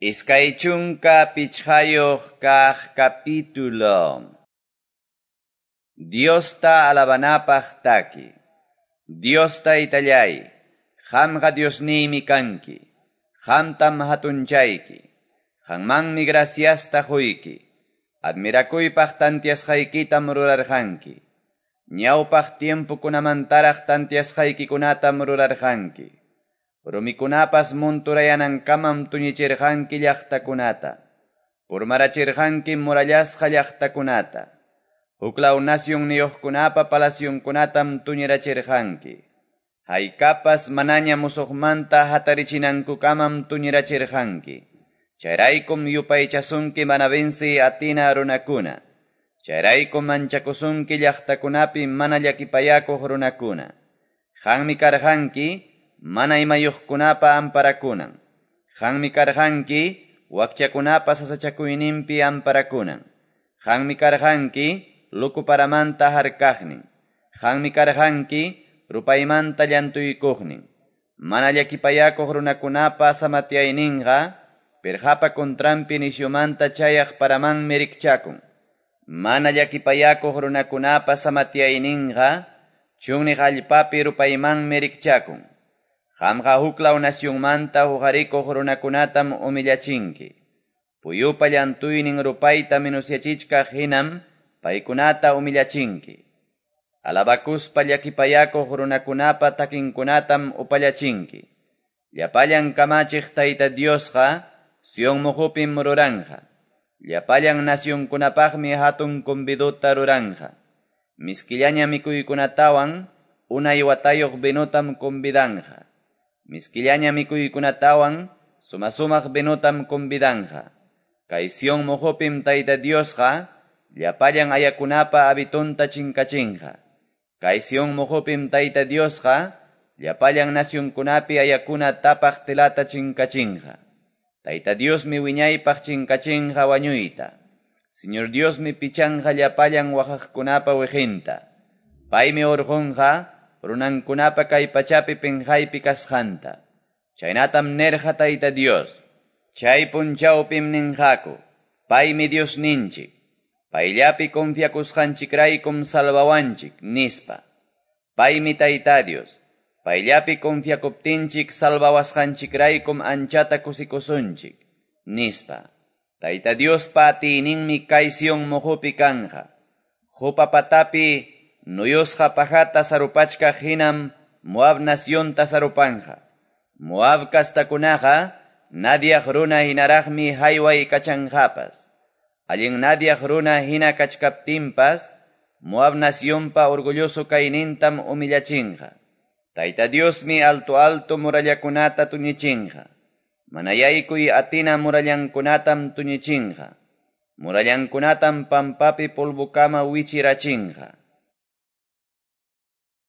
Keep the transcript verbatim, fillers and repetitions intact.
Iskay chunka pichqayuq kaq capítulo. Diosta alabanapaq taki. Dios taytallay, qamqa Diosniymi kanki, qamtam hatunchayki, qanmanmi graciasta quyki, admirakuypaq tantiasqaykitam rurarqanki, ñawpaq tiempokunamantaraq tantiasqaykikunatam rurarqanki. Rumikunapas monturayanankamam tuñichirqanki llaqtakunata, purmarachirqanki murallasqa llaqtakunata, huklaw nacionniyuqkunapa palacionkunatam tuñirachirqanki, haykapas manaña musuqmanta hatarichinankukamam tuñirachirqanki, chayraykum yupaychasunki mana venci atina runakuna, chayraykum manchakusunki llaqtakunapi mana llakipayakuq runakuna, qanmi karqanki, mana imayuqkunapa amparakunan, qanmi karqanki wakchakunapa sasachakuyninpi amparakunan, qanmi karqanki lukuparamanta harkaqnin, qanmi karqanki rupaymanta llantuykuqnin, mana llakipayakuq runakunapa samatyayninqa pirqapa contranpi nisyumanta chayaq paramanmi rikchakun, mana llakipayakuq runakunapa samatyayninqa chunniq allpapi rupaymanmi rikchakun. Qamqa huklaw nacionmanta huqarikuq runakunatam humillachinki. Puyupa llantuynin rupayta minusyachichkaq hinam paykunata humillachinki. Alabakuspa llakipayakuq runakunapa takinkunatam upallachinki. Llapallan kamachiq Tayta Diosqa Sion muqupim ruranja. Llapallan nacionkunapaqmi hatun convidota ruranja. Miskillaña mikuykunatawan unay watayuq vinotam convidanja. Miskillaña mikuykunatawan sumasumaq vinotam convidanja. Kay Sion muqupim Tayta Diosqa llapallan ayakunapa habitonta chinkachinqa. Kay Sion muqupim Tayta Diosqa llapallan nacionkunapi ayakuna tapaq telata chinkachinqa. Tayta Diosmi wiñaypaq chinkachinqa wañuyta. Señor Diosmi pichanqa llapallan waqaqkunapa wiqinta. Paymi urqunqa runankunapa kay pachapi pinqaypi kasqanta. Chaynatam nerqa Tayta Dios. Chay punchawpim ninqaku, paymi Diosninchik, payllapi confiakusqanchikraykum salvawanchik, nispa. Paymi Tayta Dios, payllapi confiakuptinchik salvawasqanchikraykum anchata kusikusunchik, nispa. Tayta Diospa atiyninmi kay Sion muqupi kanja. Qupa patapi nuyusqa pajata sarupachkaq hinam Moab nacionta sarupanja. Moab kastakunaqa nadiaq runa hinaraqmi hayway kachanqapas. Allin nadiaq runa hina kachkaptinpas Moab nacionpa orgulloso kaynintam humillachinqa. Tayta Diosmi alto alto murallakunata tuñichinqa. Manayaykuy atina murallankunatam tuñichinqa. Murallankunatam pampapi polvokama wichirachinqa.